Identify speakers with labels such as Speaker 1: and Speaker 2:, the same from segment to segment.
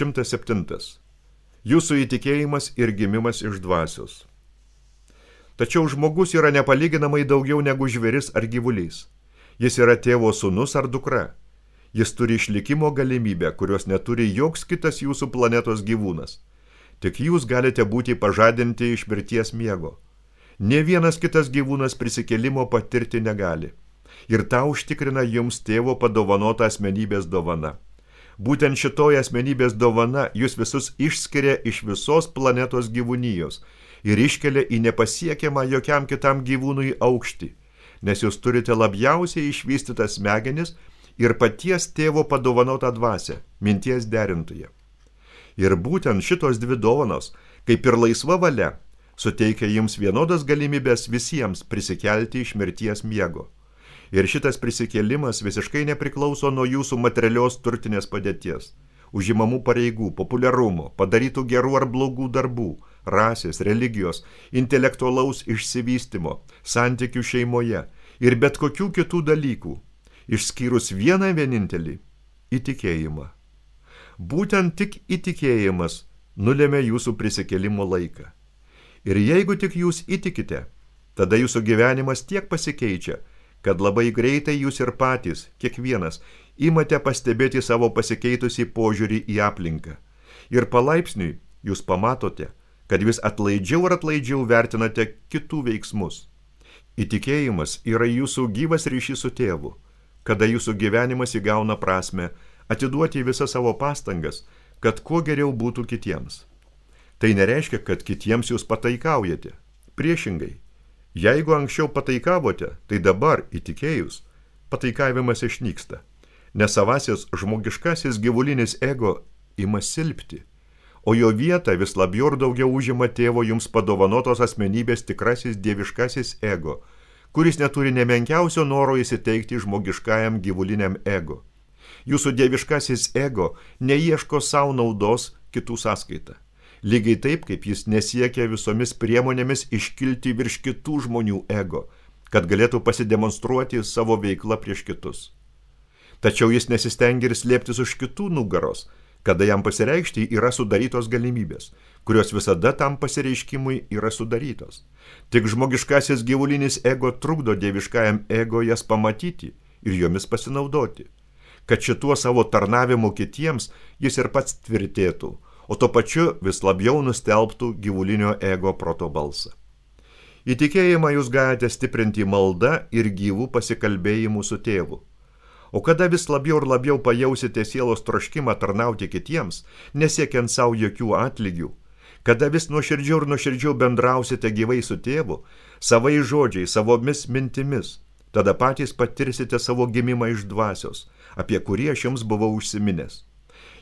Speaker 1: 107. Jūsų įtikėjimas ir gimimas iš dvasios. Tačiau žmogus yra nepalyginamai daugiau negu žvėris ar gyvulys. Jis yra tėvo sūnus ar dukra. Jis turi išlikimo galimybę, kurios neturi joks kitas jūsų planetos gyvūnas. Tik jūs galite būti pažadinti iš mirties miego. Nė vienas kitas gyvūnas prisikėlimo patirti negali. Ir tą užtikrina jums tėvo padovanota asmenybės dovana. Būtent šitoje asmenybės dovana jūs visus išskiria iš visos planetos gyvūnijos ir iškelia į nepasiekiamą jokiam kitam gyvūnui aukštį, nes jūs turite labiausiai išvystytas smegenis ir paties tėvo padovanotą dvasią, minties derintoje. Ir būtent šitos dvi dovanos, kaip ir laisva valia, suteikia jums vienodas galimybės visiems prisikelti iš mirties miego. Ir šitas prisikėlimas visiškai nepriklauso nuo jūsų materialios turtinės padėties, užimamų pareigų, populiarumo, padarytų gerų ar blogų darbų, rasės, religijos, intelektualaus išsivystymo, santykių šeimoje ir bet kokių kitų dalykų, išskyrus vieną vienintelį – įtikėjimą. Būtent tik įtikėjimas nulėmė jūsų prisikėlimo laiką. Ir jeigu tik jūs įtikite, tada jūsų gyvenimas tiek pasikeičia, kad labai greitai jūs ir patys, kiekvienas, imate pastebėti savo pasikeitusi požiūrį į aplinką. Ir palaipsniui jūs pamatote, kad vis atlaidžiau ir atlaidžiau vertinate kitų veiksmus. Įtikėjimas yra jūsų gyvas ryšys su tėvu, kada jūsų gyvenimas įgauna prasmę atiduoti visas savo pastangas, kad kuo geriau būtų kitiems. Tai nereiškia, kad kitiems jūs pataikaujate. Priešingai. Jeigu anksčiau pataikavote, tai dabar, įtikėjus, pataikavimas išnyksta, nes savasis žmogiškasis gyvulinis ego ima silpti, o jo vietą vis labiau ir daugiau užima tėvo jums padovanotos asmenybės tikrasis dieviškasis ego, kuris neturi nemenkiausio noro įsiteikti žmogiškajam gyvuliniam ego. Jūsų dieviškasis ego neieško savo naudos kitų sąskaitą. Lygiai taip, kaip jis nesiekia visomis priemonėmis iškilti virš kitų žmonių ego, kad galėtų pasidemonstruoti savo veiklą prieš kitus. Tačiau jis nesistengia ir slėptis už kitų nugaros, kada jam pasireikšti yra sudarytos galimybės, kurios visada tam pasireiškimui yra sudarytos. Tik žmogiškasis gyvulinis ego trukdo dieviškajam ego jas pamatyti ir jomis pasinaudoti, kad šituo savo tarnavimu kitiems jis ir pats tvirtėtų, o to pačiu vis labiau nustelbtų gyvulinio ego proto balsą. Įtikėjimą jūs galite stiprinti malda ir gyvų pasikalbėjimų su tėvu. O kada vis labiau ir labiau pajausite sielos troškimą tarnauti kitiems, nesiekiant savo jokių atlygių, kada vis nuoširdžiau ir nuoširdžiau bendrausite gyvai su tėvu, savai žodžiai, savomis mintimis, tada patys patirsite savo gimimą iš dvasios, apie kurį aš jums buvau užsiminęs.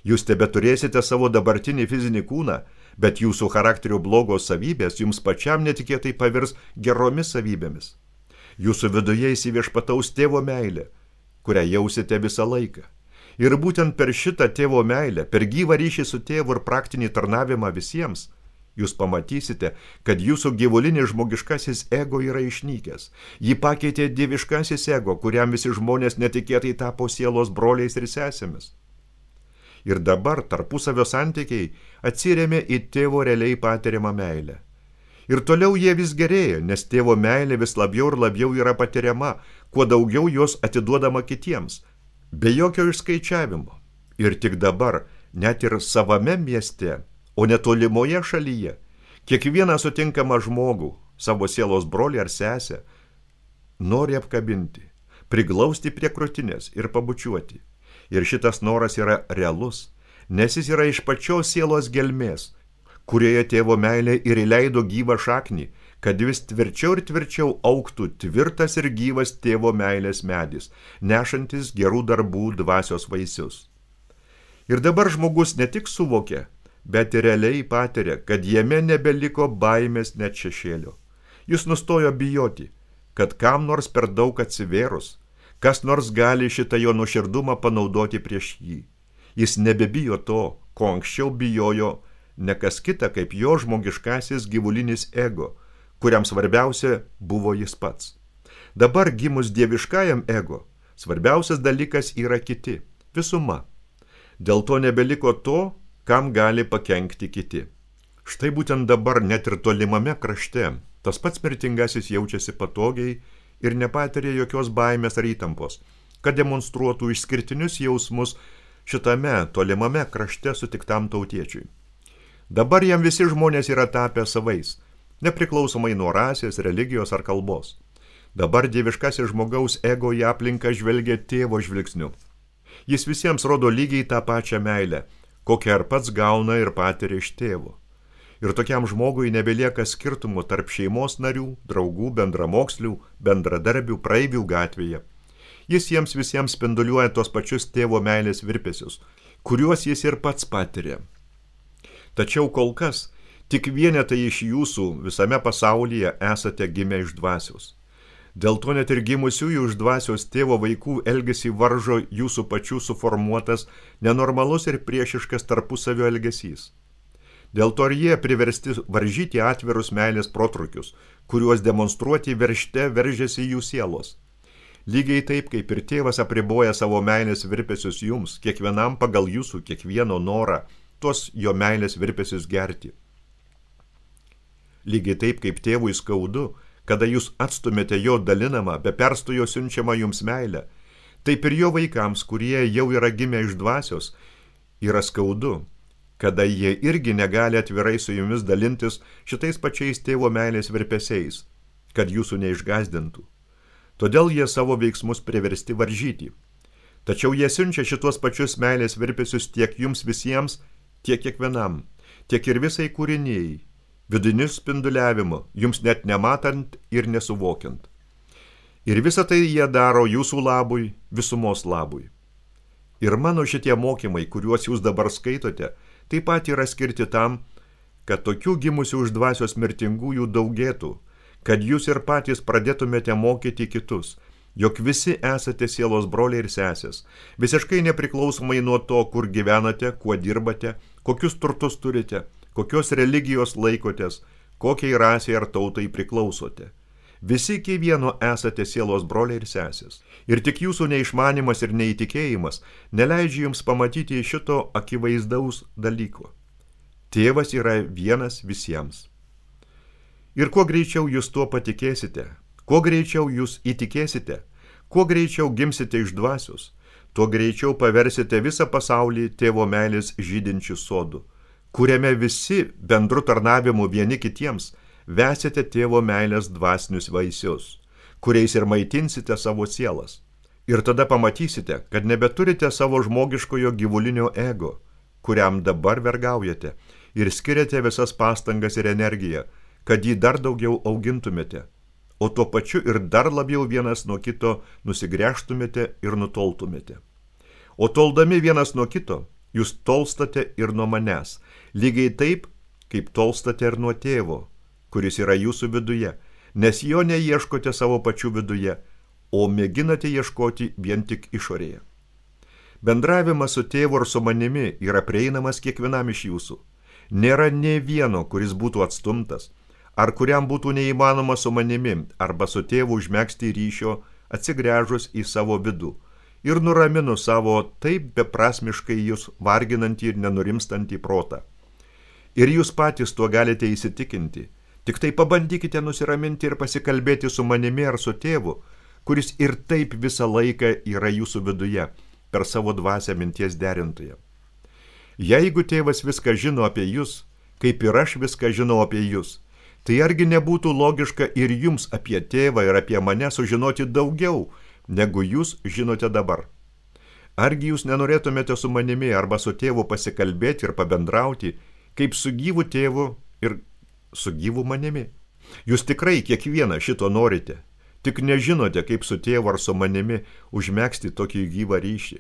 Speaker 1: Jūs tebeturėsite savo dabartinį fizinį kūną, bet jūsų charakterio blogos savybės jums pačiam netikėtai pavirs geromis savybėmis. Jūsų viduje įsiviešpataus tėvo meilė, kurią jausite visą laiką. Ir būtent per šitą tėvo meilę, per gyvą ryšį su tėvu ir praktinį tarnavimą visiems, jūs pamatysite, kad jūsų gyvulinis žmogiškasis ego yra išnykęs. Jį pakeitė dieviškasis ego, kuriam visi žmonės netikėtai tapo sielos broliais ir sesėmis. Ir dabar tarpusavio santykiai atsiremia į tėvo realiai patiriamą meilę. Ir toliau jie vis gerėja, nes tėvo meilė vis labiau ir labiau yra patiriama, kuo daugiau jos atiduodama kitiems, be jokio išskaičiavimo. Ir tik dabar, net ir savame mieste, o netolimoje šalyje, kiekvieną sutinkamą žmogų, savo sielos brolį ar sesę, nori apkabinti, priglausti prie krūtinės ir pabučiuoti. Ir šitas noras yra realus, nes jis yra iš pačios sielos gelmės, kurioje tėvo meilė ir įleido gyvą šaknį, kad vis tvirčiau ir tvirčiau augtų tvirtas ir gyvas tėvo meilės medis, nešantis gerų darbų dvasios vaisius. Ir dabar žmogus ne tik suvokia, bet ir realiai patiria, kad jame nebeliko baimės net šešėlio. Jis nustojo bijoti, kad kam nors per daug atsivėrus, kas nors gali šitą jo nuoširdumą panaudoti prieš jį. Jis nebebijo to, ko anksčiau bijojo ne kas kita kaip jo žmogiškasis gyvulinis ego, kuriam svarbiausia buvo jis pats. Dabar gimus dieviškajam ego, svarbiausias dalykas yra kiti, visuma. Dėl to nebeliko to, kam gali pakenkti kiti. Štai būtent dabar net ir tolimame krašte tas pats mirtingasis jaučiasi patogiai ir nepatiria jokios baimės ar įtampos, kad demonstruotų išskirtinius jausmus šitame tolimame krašte sutiktam tautiečiui. Dabar jam visi žmonės yra tapę savais, nepriklausomai nuo rasės, religijos ar kalbos. Dabar dieviškasis žmogaus ego į aplinką žvelgia tėvo žvilgsniu. Jis visiems rodo lygiai tą pačią meilę, kokią ar pats gauna ir patiria iš tėvo. Ir tokiam žmogui nebelieka skirtumų tarp šeimos narių, draugų, bendramokslių, bendradarbių, praeivių gatvėje. Jis jiems visiems spinduliuoja tos pačius tėvo meilės virpesius, kuriuos jis ir pats patiria. Tačiau kol kas tik vienetai iš jūsų visame pasaulyje esate gimę iš dvasios. Dėl to net ir gimusiųjų iš dvasios tėvo vaikų elgesį varžo jūsų pačių suformuotas, nenormalus ir priešiškas tarpusavio elgesys. Dėl to ir jie priversti varžyti atvirus meilės protrukius, kuriuos demonstruoti veržte veržiasi jų sielos. Lygiai taip, kaip ir tėvas apriboja savo meilės virpesius jums, kiekvienam pagal jūsų kiekvieno norą, tuos jo meilės virpesius gerti. Lygiai taip, kaip tėvui skaudu, kada jūs atstumėte jo dalinamą, be perstojo siunčiamą jums meilę, taip ir jo vaikams, kurie jau yra gimę iš dvasios, yra skaudu, kada jie irgi negali atvirai su jumis dalintis šitais pačiais tėvo meilės virpesiais, kad jūsų neišgazdintų. Todėl jie savo veiksmus priversti varžyti. Tačiau jie siunčia šitos pačius meilės virpesius tiek jums visiems, tiek kiekvienam, tiek ir visai kūrinėjai, vidiniu spinduliavimu, jums net nematant ir nesuvokiant. Ir visą tai jie daro jūsų labui, visumos labui. Ir mano šitie mokymai, kuriuos jūs dabar skaitote, taip pat yra skirti tam, kad tokių gimusių iš dvasios mirtingųjų daugėtų, kad jūs ir patys pradėtumėte mokyti kitus, jog visi esate sielos broliai ir sesės, visiškai nepriklausomai nuo to, kur gyvenate, kuo dirbate, kokius turtus turite, kokios religijos laikotės, kokiai rasiai ar tautai priklausote. Visi iki vieno esate sielos broliai ir sesės. Ir tik jūsų neišmanimas ir neįtikėjimas neleidžia jums pamatyti šito akivaizdaus dalyko. Tėvas yra vienas visiems. Ir kuo greičiau jūs tuo patikėsite, kuo greičiau jūs įtikėsite, kuo greičiau gimsite iš dvasios, tuo greičiau paversite visą pasaulį tėvo meilės žydinčių sodų, kuriame visi bendru tarnavimu vieni kitiems vesite tėvo meilės dvasinius vaisius, kuriais ir maitinsite savo sielas. Ir tada pamatysite, kad nebeturite savo žmogiškojo gyvulinio ego, kuriam dabar vergaujate, ir skiriate visas pastangas ir energiją, kad jį dar daugiau augintumėte, o tuo pačiu ir dar labiau vienas nuo kito nusigręžtumėte ir nutoltumėte. O toldami vienas nuo kito, jūs tolstate ir nuo manęs, lygiai taip, kaip tolstate ir nuo tėvo, kuris yra jūsų viduje, nes jo neieškote savo pačių viduje, o mėginate ieškoti vien tik išorėje. Bendravimas su tėvu ir su manimi yra prieinamas kiekvienam iš jūsų. Nėra nė vieno, kuris būtų atstumtas, ar kuriam būtų neįmanoma su manimi arba su tėvu užmegzti ryšio, atsigręžus į savo vidų ir nuraminu savo taip beprasmiškai jūs varginantį ir nenurimstantį protą. Ir jūs patys tuo galite įsitikinti. Tik tai pabandykite nusiraminti ir pasikalbėti su manimi ar su tėvu, kuris ir taip visą laiką yra jūsų viduje, per savo dvasią minties derintoje. Jeigu tėvas viską žino apie jūs, kaip ir aš viską žinau apie jūs, tai argi nebūtų logiška ir jums apie tėvą ir apie mane sužinoti daugiau, negu jūs žinote dabar? Argi jūs nenorėtumėte su manimi arba su tėvu pasikalbėti ir pabendrauti, kaip su gyvu tėvu ir su gyvu manimi? Jūs tikrai kiekvieną šito norite, tik nežinote, kaip su tėvu ar su manimi užmegzti tokį gyvą ryšį.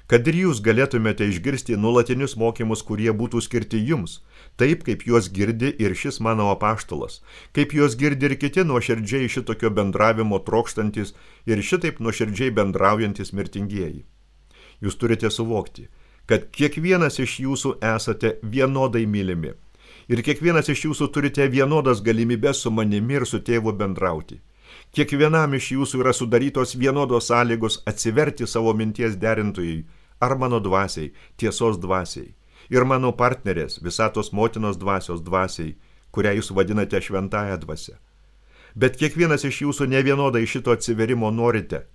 Speaker 1: Kad ir jūs galėtumėte išgirsti nuolatinius mokymus, kurie būtų skirti jums, taip kaip juos girdi ir šis mano apaštalas, kaip juos girdi ir kiti nuoširdžiai šitokio bendravimo trokštantis ir šitaip nuoširdžiai bendraujantis mirtingieji. Jūs turite suvokti, kad kiekvienas iš jūsų esate vienodai mylimi. Ir kiekvienas iš jūsų turite vienodas galimybės su manimi ir su tėvu bendrauti. Kiekvienam iš jūsų yra sudarytos vienodos sąlygos atsiverti savo minties derintojai ar mano dvasiai, tiesos dvasiai. ir mano partnerės, visatos motinos dvasios dvasiai, kurią jūs vadinate šventąją dvasią. Bet kiekvienas iš jūsų nevienodai šito atsiverimo norite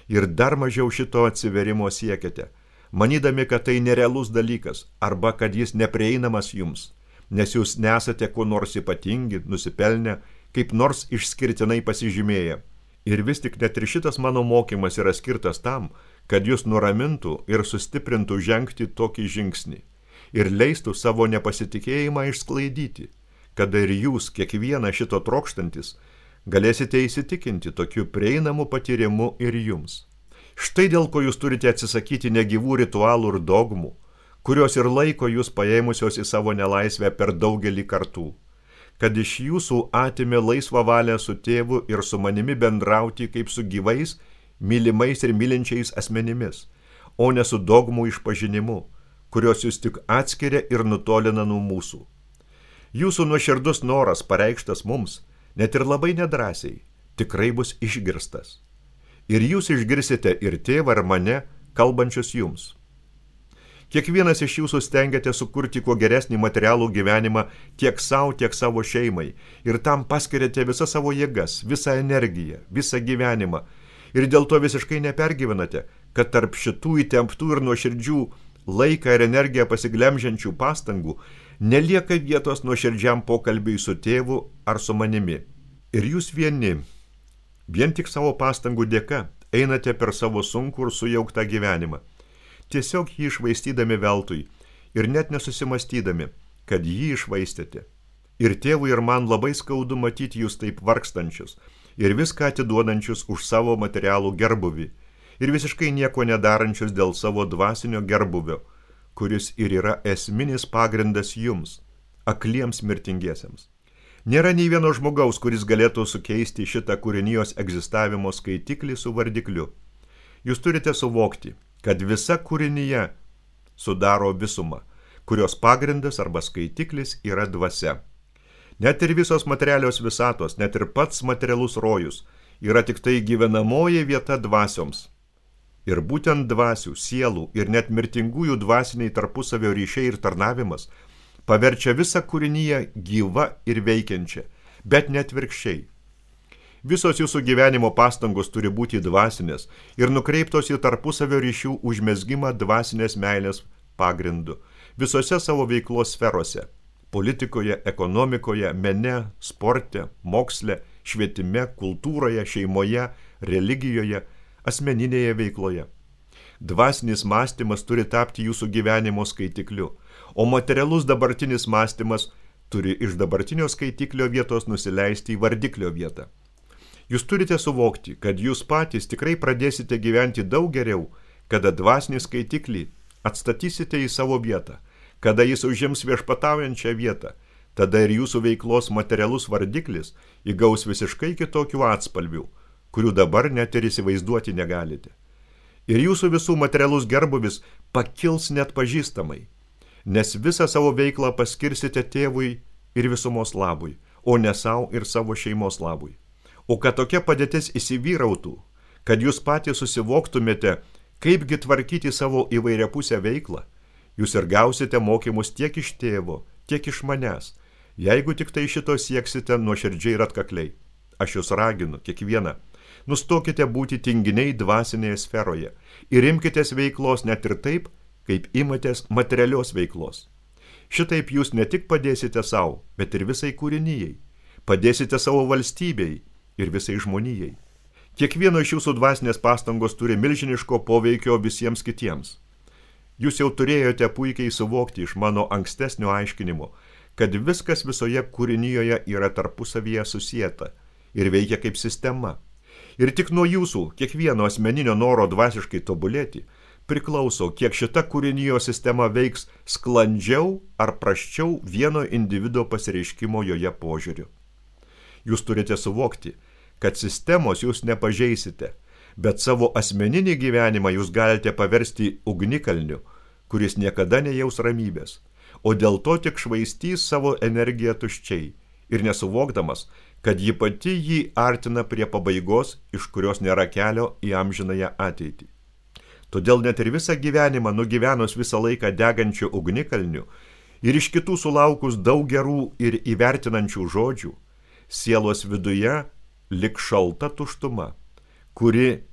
Speaker 1: ir dar mažiau šito atsiverimo siekiate, manydami, kad tai nerealus dalykas arba kad jis neprieinamas jums, nes jūs nesate kuo nors ypatingi, nusipelnę, kaip nors išskirtinai pasižymėję. Ir vis tik net ir šitas mano mokymas yra skirtas tam, kad jūs nuramintų ir sustiprintų žengti tokį žingsnį ir leistų savo nepasitikėjimą išsklaidyti, kada ir jūs, kiekvieną šito trokštantis, galėsite įsitikinti tokiu prieinamu patyrimu ir jums. Štai dėl ko jūs turite atsisakyti negyvų ritualų ir dogmų, kurios ir laiko jūs paėmusios į savo nelaisvę per daugelį kartų, kad iš jūsų atimė laisvą valią su tėvu ir su manimi bendrauti kaip su gyvais, mylimais ir mylinčiais asmenimis, o ne su dogmų išpažinimu, kurios jūs tik atskiria ir nutolina nuo mūsų. Jūsų nuoširdus noras pareikštas mums, net ir labai nedrąsiai, tikrai bus išgirstas. Ir jūs išgirsite ir tėvą ir mane, kalbančius jums. Kiekvienas iš jūsų stengiate sukurti kuo geresnį materialų gyvenimą tiek savo, tiek savo šeimai, ir tam paskiriate visą savo jėgas, visą energiją, visą gyvenimą, ir dėl to visiškai nepergyvenate, kad tarp šitų įtemptų ir nuoširdžių laiką ir energiją pasiglemžiančių pastangų nelieka vietos nuoširdžiam pokalbiui su tėvu ar su manimi. Ir jūs vieni, vien tik savo pastangų dėka, einate per savo sunkų ir sujauktą gyvenimą, tiesiog jį išvaistydami veltui ir net nesusimastydami, kad jį išvaistėte. Ir tėvui ir man labai skaudu matyti jūs taip vargstančius ir viską atiduodančius už savo materialų gerbuvį ir visiškai nieko nedarančius dėl savo dvasinio gerbuvio, kuris ir yra esminis pagrindas jums, akliems mirtingiesiems. Nėra nei vieno žmogaus, kuris galėtų sukeisti šitą kūrinijos egzistavimo skaitiklį su vardikliu. Jūs turite suvokti, kad visa kūrinyje sudaro visumą, kurios pagrindas arba skaitiklis yra dvasia. Net ir visos materialios visatos, net ir pats materialus rojus yra tik tai gyvenamoji vieta dvasioms. Ir būtent dvasių, sielų ir net mirtingųjų dvasiniai tarpusavio ryšiai ir tarnavimas paverčia visą kūrinyje gyva ir veikiančią, bet net virkščiai. Visos jūsų gyvenimo pastangos turi būti dvasinės ir nukreiptos į tarpusavio ryšių užmezgimą dvasinės meilės pagrindu visose savo veiklos sferose – politikoje, ekonomikoje, mene, sporte, moksle, švietime, kultūroje, šeimoje, religijoje, asmeninėje veikloje. Dvasinis mąstymas turi tapti jūsų gyvenimo skaitikliu, o materialus dabartinis mąstymas turi iš dabartinio skaitiklio vietos nusileisti į vardiklio vietą. Jūs turite suvokti, kad jūs patys tikrai pradėsite gyventi daug geriau, kada dvasinį skaitiklį atstatysite į savo vietą, kada jis užims viešpataujančią vietą, tada ir jūsų veiklos materialus vardiklis įgaus visiškai kitokių atspalvių, kurių dabar net ir įsivaizduoti negalite. Ir jūsų visų materialus gerbuvis pakils net pažįstamai, nes visą savo veiklą paskirsite tėvui ir visumos labui, o ne savo ir savo šeimos labui. O kad tokia padėtis įsivyrautų, kad jūs patys susivoktumėte, kaipgi tvarkyti savo įvairiapusę veiklą, jūs ir gausite mokymus tiek iš tėvo, tiek iš manęs, jeigu tik tai šito sieksite nuoširdžiai ir atkakliai. Aš jūs raginu, kiekvieną, nustokite būti tinginiai dvasinėje sferoje ir imkitės veiklos net ir taip, kaip imatės materialios veiklos. Šitaip jūs ne tik padėsite savo, bet ir visai kūrinijai, padėsite savo valstybei ir visai žmonijai. Kiekvieno iš jūsų dvasinės pastangos turi milžiniško poveikio visiems kitiems. Jūs jau turėjote puikiai suvokti iš mano ankstesnio aiškinimo, kad viskas visoje kūrinijoje yra tarpusavyje susieta ir veikia kaip sistema. Ir tik nuo jūsų, kiekvieno asmeninio noro dvasiškai tobulėti, priklauso, kiek šita kūrinijo sistema veiks sklandžiau ar prasčiau vieno individo pasireiškimo joje požiūriu. Jūs turite suvokti, kad sistemos jūs nepažeisite, bet savo asmeninį gyvenimą jūs galite paversti ugnikalniu, kuris niekada nejaus ramybės, o dėl to tik švaistys savo energiją tuščiai ir nesuvokdamas, kad ji pati jį artina prie pabaigos, iš kurios nėra kelio į amžinąją ateitį. Todėl net ir visą gyvenimą nugyvenus visą laiką degančių ugnikalnių ir iš kitų sulaukus daug gerų ir įvertinančių žodžių, sielos viduje lik šalta tuštuma, kuri,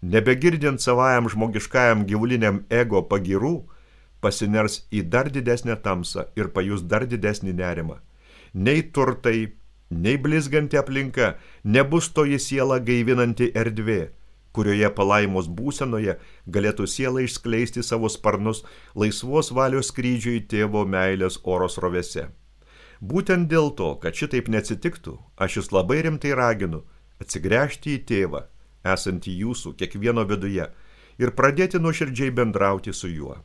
Speaker 1: nebegirdint savajam žmogiškajam gyvuliniam ego pagirų, pasiners į dar didesnę tamsą ir pajus dar didesnį nerimą. Nei turtai, nei blizganti aplinka nebus toji siela gaivinanti erdvė, kurioje palaimos būsenoje galėtų siela išskleisti savo sparnus laisvos valios skrydžiui tėvo meilės oro srovėse. Būtent dėl to, kad šitaip neatsitiktų, aš jūs labai rimtai raginu atsigręžti į tėvą, esantį jūsų kiekvieno viduje, ir pradėti nuoširdžiai bendrauti su juo.